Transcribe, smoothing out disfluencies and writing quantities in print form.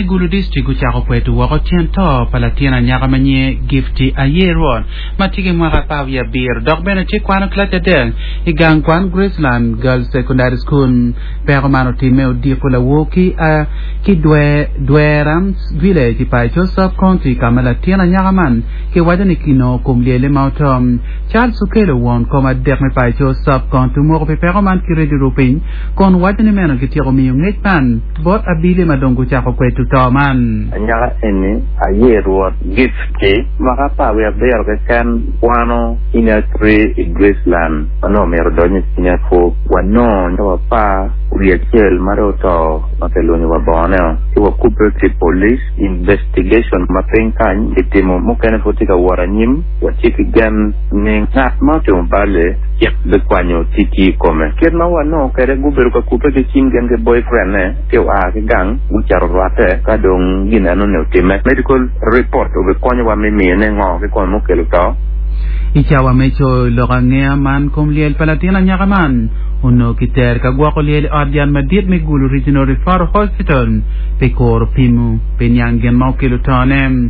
me Gulu District gucako kweto woko tyen to pa latin anyaka ma nyinge Gifty Ayerwot ma tye ki mwaka 17 dok bene tye kwano kilaci adek i gang kwan Graceland Girls Secondary School. Peko man otimme odiko lawor ki ki Dwera Village i Paicho Sub County ka ma latin anyaka man kiwaco ni kinongo kom lyelle ma oto. Charles Okello won kom adek me Paicho Sub County omoko pi peko man ki redio rupiny kun waco ni meno gityeko miyo ngec man bot abili ma dong gucako kweto to man. Anyaka eni aye Rwot Gifty, mwaka 17 keken, kwano Senior Three i Graceland ma nongo myero odony i Senior Four. Wanongo cawa 11 ma dong oto ma kilunyo wa bongone-o ci wakubbe ki police. Investigation ma piny kany kitimo mukene pud tye ka wot anyim. Watye ki gen ni ngat ma otimo bal-li cik bikwanyo ticci i kome. Kit ma wanongo kwede gubedo ka kubbe ki cim gin ki boyfriend-ne ci oa ki gang gucito rwatte ka dong gin enoni otimme. Medical report obikonyowa me miyone ngo kikome mukelo to. I cawa me coyo lok angeya man kom lyel pa latin anyaka man onongo kitero ka gwoko lyel i ot yat madit me Gulu Regional Referral Hospital pi kuro pimo pi niang gin ma okelo tone.